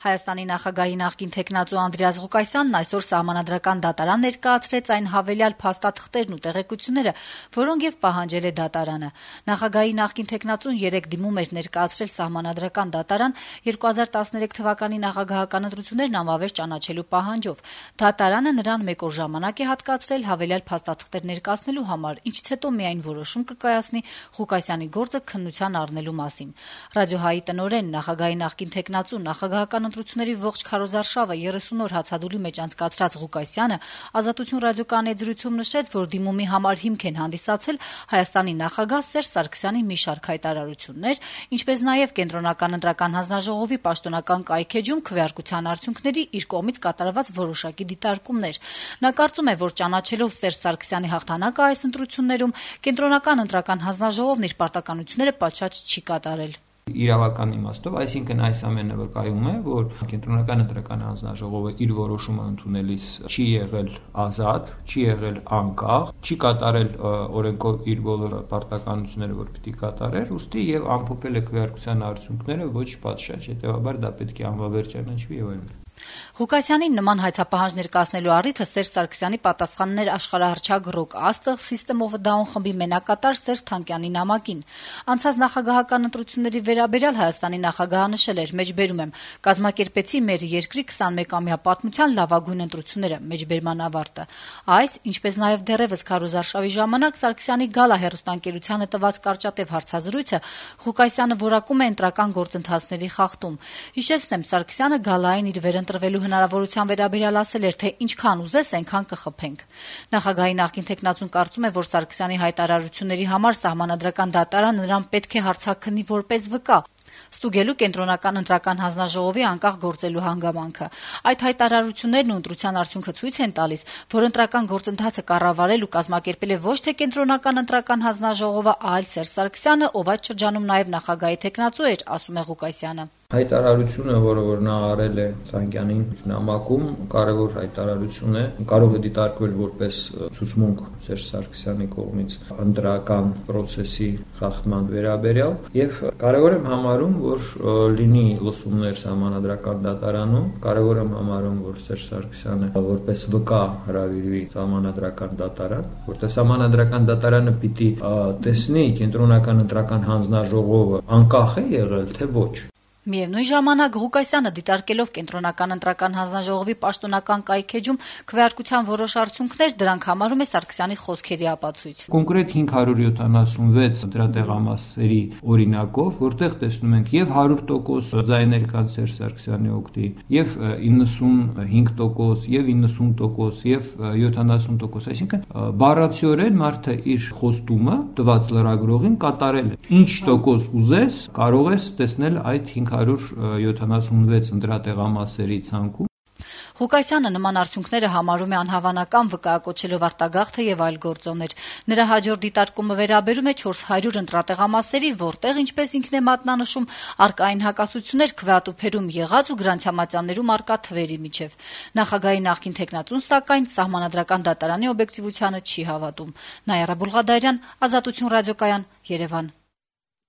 Հայաստանի նախագահի նախկին թեկնածու Անդրեաս Ղուկասյանն այսօր Սահմանադրական դատարան ներկայացրեց այն հավելյալ փաստաթղթերն ու տեղեկությունները, որոնք եւ պահանջել է դատարանը։ Նախագահի նախկին թեկնածուն 3 դիմում էր ներկայացրել Սահմանադրական դատարան 2013 թվականի նախագահական ընտրություններն անվավեր ճանաչելու պահանջով։ Դատարանը նրան 1 օր ժամանակ է հատկացրել հավելյալ փաստաթղթեր ներկայացնելու համար, ինչից հետո միայն որոշում կկայացնի Ղուկասյանի գործը քննության առնելու մասին։ Ռադիոհայի տնօրեն, նախագահի նախկին թեկնածու, նախագահական ընտրությունների ողջ քարոզարշավը 30 օր հացադուլի մեջ անցկացրած Ղուկասյանը «Ազատություն» ռադիոկայանի եզրույցում նշեց, որ դիմումի համար հիմք են հանդիսացել Հայաստանի նախագահ Սերժ Սարգսյանի մի շարք հայտարարություններ, ինչպես նաև Կենտրոնական ընտրական հանձնաժողովի պաշտոնական կայքէջում քվեարկության արդյունքների իր կողմից կատարված որոշակի դիտարկումներ։ Նա կարծում է, որ ճանաչելով Սերժ Սարգսյանի հաղթանակը այս ընտրություններում, Կենտրոնական ընտրական հանձնաժողովն իր պարտականությունները պատշաճ չի կատարել։ Իրավական իմաստով, այսինքն այս ամենը վկայում է, որ Կենտրոնական ընտրական հանձնաժողովը իր որոշումը ընդունելիս չի եղել ազատ, չի եղել անկախ, չի կատարել օրենքով իր բոլոր պարտականությունները, որ պիտի կատարեր, ուստի եւ ամփոփել է քվեարկության արդյունքները ոչ պատշաճ, հետեւաբար դա պետք է անվավեր ճանաչվի եւ այլն։ Ղուկասյանին նման հայցապահանջ ներկայացնելու առիթը Սերժ Սարգսյանի պատասխաններ աշխարհահռչակ ռոք աստղ System of a Down խմբի մենակատար Սերժ Թանկյանի նամակին։ Անցած նախագահական ընտրությունների վերաբերյալ Հայաստանի նախագահը նշել էր. «Մեջբերում եմ, կազմակերպեցի մեր երկրի 21-ամյա պատմության լավագույն ընտրությունները», մեջբերման ավարտը։ Այս, ինչպես նաև դեռևս քարոզարշավի ժամանակ Սարգսյանի Գալա հեռուստաընկերությանը տված կարճատև հարցազրույցը Ղուկասյանը որակում է ընտրական գործընթացների խախտում։ Հիշեցնեմ, Սարգսյանը Գալային իր վերընտրվելու հնարավորության վերաբերյալ ասել էր, թե ինչքան ուզես, այնքան կխփենք։ Նախագահի նախկին թեկնածուն կարծում է, որ Սարգսյանի հայտարարությունների համար Սահմանադրական դատարանը նրան պետք է հարցաքննի որպես վկա, ստուգելու Կենտրոնական ընտրական հանձնաժողովի անկախ գործելու հանգամանքը։ Այդ հայտարարություններն ու ընտրության արդյունքը ցույց են տալիս, որ ընտրական գործընթացը կառավարել ու կազմակերպել է ոչ թե Կենտրոնական ընտրական հանձնաժողովը, այլ Սերժ Սարգսյանը, ով այդ շրջանում նաև նախագահի թեկնածու էր, ասում է Ղուկասյանը։ Հայտարարությունը, որը նա արել է Թանկյանին նամակում, կարևոր հայտարարություն է, կարող է դիտարկվել որպես ցուցմունք Սերժ Սարգսյանի կողմից ընտրական process-ի խախտման վերաբերյալ, եւ կարևոր եմ համարում, որ լինի լսումներ Սահմանադրական դատարանում, կարևոր եմ համարում, որ Սերժ Սարգսյանը որպես վկա հրավիրվի Սահմանադրական դատարան, որտեղ Սահմանադրական դատարանը պիտի տեսնի Կենտրոնական ընտրական հանձնաժողովը անկախ է եղել, թե ոչ։ Միևնույն ժամանակ Ղուկասյանը դիտարկելով Կենտրոնական ընտրական հանձնաժողովի պաշտոնական կայքէջում քվեարկության որոշ արդյունքներ, դրանք համարում է Սարգսյանի խոսքերի ապացույց։ Կոնկրետ 576 դրատեղամասերի օրինակով, որտեղ տեսնում ենք եւ 100% ձայներ կան Սերժ Սարգսյանի օգտին, եւ 95%, եւ 90%, եւ 70%, այսինքն բառացիորեն մարդը իր խոստումը տված լրագրողին կատարել է։ Ինչ տոկոս ուզես, կարող ես տեսնել այդ 576 ընտրատեղամասերի ցանկում։ Ղուկասյանը նման արդյունքները համարում է անհավանական, վկայակոչելով արտագաղթը եւ այլ գործոններ։ Նրա հաջորդ դիտարկումը վերաբերում է 400 ընտրատեղամասերի, որտեղ, ինչպես ինքն է մատնանշում, արկային հակասություններ քվեատուփերում եղած ու գրանցամատյաններում արկա թվերի միջև։ Նախագահի նախկին թեկնածուն, սակայն, Սահմանադրական դատարանի օբյեկտիվությանը չի հավատում։ Նայարա Բուլղադարյան, Ազատություն ռադիոկայան, Երևան։